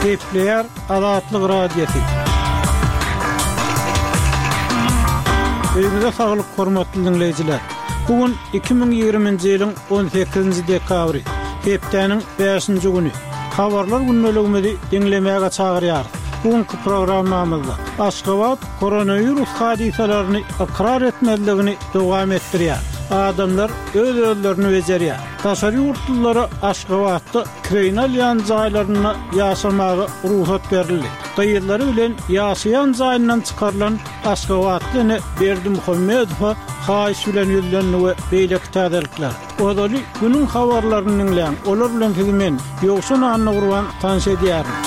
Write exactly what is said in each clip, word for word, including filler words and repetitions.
Gepleýär Azatlyk Radiosy. Öýüňize saglyk, hormatly diňleýjiler! Bu gün iki müň ýigriminji ýylyň on sekizinji dekabry, hepdäniň bäşinji güni. Habarlar gündeligimizi diňlemäge çagyrýarys. Bu günki programmamyzda Aşgabat koronawirus hadysalaryny ykrar etmezligini dowam etdirýär. Adamlar öz-özlerini bejerýär. Daşary ýurtlulara Aşgabatda kireýine alýan jaýlarynda ýaşamaga rugsat berildi. Gyzlary bilen ýaşaýan jaýyndan çykarylan aşgabatly ene Berdimuhamedowa haýyş bilen ýüzlendi we beýleki täzelikler. Ozaly günüň habarlaryny diňläň, olar bilen sizi men, Ýowşan Annagurban tanyş edýärin.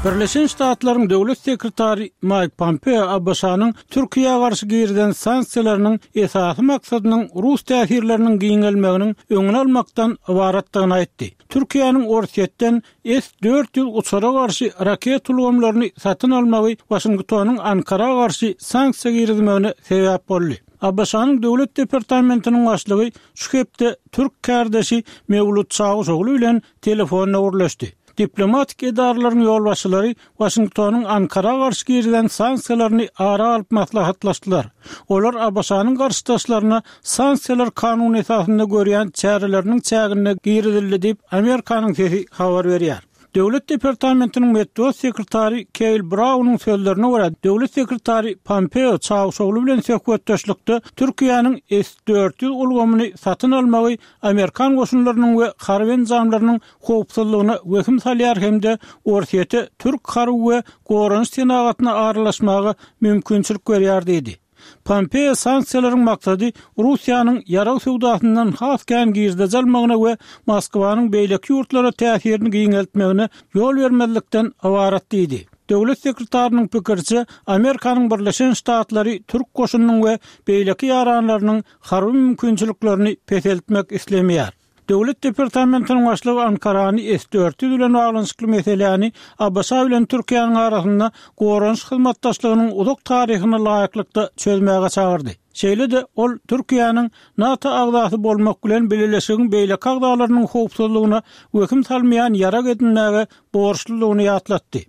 Birleşen Ştatlaryň Döwlet sekretary Maýk Pompeo ABŞ-nyň Türkiýä garşy girizen sanksiýalarynyň esasy maksadynyň rus täsirleriniň giňelmeginiň öňüni almakdan ybaratdygyny aýtdy. Türkiýäniň Orsýetden S dört ýüz uçara garşy raket ulgamlaryny satyn almagy Waşingtonyň Ankara garşy sanksiýa girizmegine sebäp boldy. ABŞ-nyň Döwlet departamentiniň başlygy şu hepde türk kärdeşi Mewlut Çawuşogly bilen telefonda gürleşdi. Diplomatik edaralaryň ýolbaşçylary Waşingtonyň Ankara garşy girizen sanksiýalaryny ara alyp maslahatlaşdylar. Olar ABŞ-nyň garşydaşlaryna sanksiýalar kanun esasynda görýän çäreleriniň çäginde girizildi diýip, Amerikanyň sesi habar berýär. Döwlet departamentiniň metbugat sekretary Keýl Braunyň sözlerine görä, döwlet sekretary Pompeo Çawuşogly bilen söhbetdeşlikde Türkiýäniň S dört ýüz ulgamyny satyn almagy amerikan goşunlarynyň we harby enjamlarynyň howpsuzlygyna wehim salýar hem-de Orsýete türk harby we goranyş senagatyna aralaşmaga mümkinçilik berýär diýdi. Pompeo sanksiýalaryň maksady Russiýanyň ýarag söwdasyndan has kän girdeji almagyna we Moskwanyň beýleki ýurtlara täsirini giňeltmegine ýol bermezlikden ybarat diýdi. Döwlet sekretarynyň pikiriçe, Amerikanyň Birleşen Ştatlary türk goşunynyň we beýleki ýaranlarynyň harby mümkinçiliklerini peseltmek islemeýär. Döwlet departamentiniň başlygy Ankarany S dört ýüz bilen baglanyşykly meseläni ABŞ bilen Türkiýäniň arasynda goranyş hyzmatdaşlygynyň uzak taryhyna laýyklykda çözmäge çagyrdy. Şeýle-de ol Türkiýäniň NATO agzasy bolmak bilen bileleşigiň beýleki agzalarynyň howpsuzlygyna wehim salmaýan ýarag edinmäge borçludygyny ýatlatdy.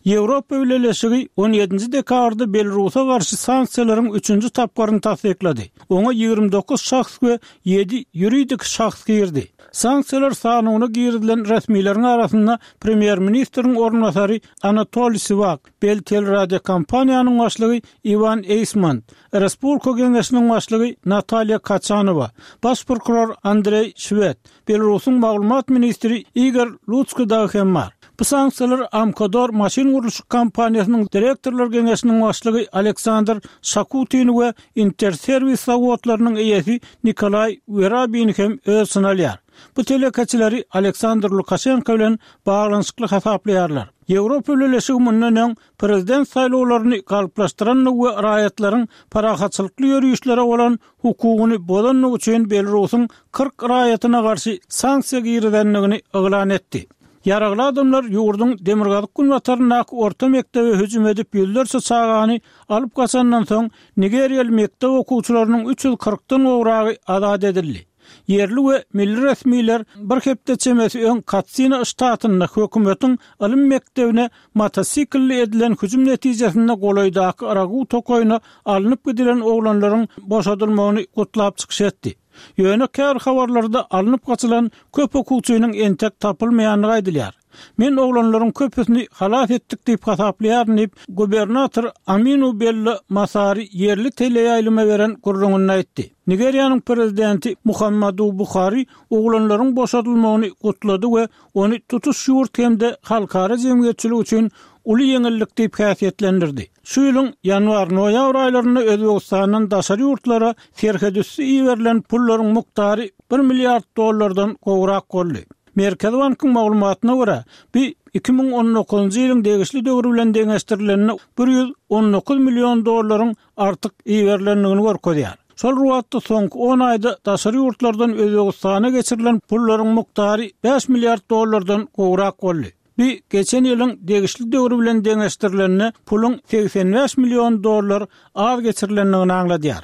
Ýewropa Bileleşigi on ýedinji dekabrda Belarusa garşy sanksiýalaryň üçünji tapgyryny tassyklady. Oňa ýigrimi dokuz şahs we ýedi ýuridik şahs girdi. Sanksiýalar sanawyna girizilen resmileriň arasynda premýer-ministriň orunbasary Anatoliý Siwak, Beltelradiokompaniýanyň başlygy Iwan Eýsmont, Respublika Geňeşiniň başlygy Natalýa Kaçanowa, baş prokuror Andreý Şwed, Belarusyň maglumat ministri Igor Lutskiý dagy hem bar. Bu sanksiýalar Amkodor maşyn gurluşyk kompaniýasynyň direktorlar geňeşiniň başlygy Aleksandr Şakutini we Interserwis zawodlarynyň eýesi Nikolaý Werabini hem öz içine alýar. Bu telekeçileri Aleksandr Lukaşenko bilen baglanyşykly hasaplaýarlar. Ýewropa Bileleşigi mundan öň prezident saýlawlaryny galplaşdyrandygy we raýatlaryň parahatçylykly ýörişlere bolan hukugyny bozandygy üçin Belarusyň kyrk raýatyna garşy sanksiýa girizendigini yglan etdi. Ýaragly adamlar ýurduň demirgazyk günbataryndaky orta mekdebe hüjüm edip ýüzlerçe çagany alyp gaçandan soň nigeriýaly mekdep okuwçylarynyň üç ýüz kyrkdan gowragy azat edildi. Ýerli we milli resmiler bir hepde çemesi öň Katsina ştatynda hökümetiň ylym mekdebine motosiklli edilen hüjüm netijesinde golaýdaky Ragu tokaýyna alnyp gidilen oglanlaryň boşadylmagyny gutlap çykyş etdi. Ýöne käbir habarlarda alnyp gaçylan köp okuwçynyň entek tapylmaýandygy aýdylýar. Men oglanlaryň köpüsini halas etdik diýip hasaplaýaryn diýip, gubernator Aminu Bello Masari ýerli teleýaýlyma beren gürrüňinde aýtdy. Nigeriýanyň prezidenti Muhammadu Buhari oglanlaryň boşadylmagyny gutlady we ony tutuş ýurt hem-de halkara jemgyýetçiligi üçin uly ýeňillik diýip häsiýetlendirdi. Şu ýylyň ýanwar-noýabr aýlarynda Özbegistandan daşary ýurtlara serhetüsti iberilen pullaryň mukdary bir milliard dollardan gowrak boldy. Merkezi bankyň maglumatyna görä, bu iki müň on dokuzynjy ýylyň degişli döwri bilen deňeşdirilende bir ýüz on dokuz million dollaryň artyk iberilendigini görkezýär. Şol bir wagtda soňky on aýda daşary ýurtlardan Özbegistana geçirilen pullaryň mukdary bäş milliard dollardan gowrak boldy. Bu geçen ýylyň degişli döwri bilen deňeşdirilende puluň segsen bäş million dollar az geçirilendigini aňladýar.